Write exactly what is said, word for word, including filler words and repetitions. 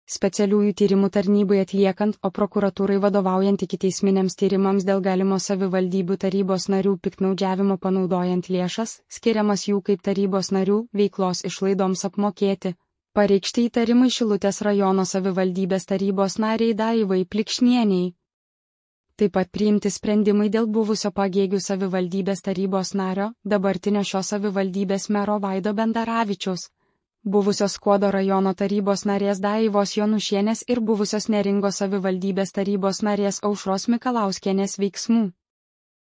Specialiųjų tyrimų tarnybai atliekant, o prokuratūrai vadovaujant ikiteisminiams tyrimams dėl galimo savivaldybių tarybos narių piktnaudžiavimo panaudojant lėšas, skiriamas jų kaip tarybos narių veiklos išlaidoms apmokėti. Pareikšti įtarimai Šilutės rajono savivaldybės tarybos nariai Daivai Plikšnieniai. Taip pat priimti sprendimai dėl buvusio Pagėgių savivaldybės tarybos nario, dabartinio šios savivaldybės mero Vaido Bendaravičiaus, buvusios Skuodo rajono tarybos narės Daivos Jonušienės ir buvusios Neringos savivaldybės tarybos narės Aušros Mikalauskienės veiksmų.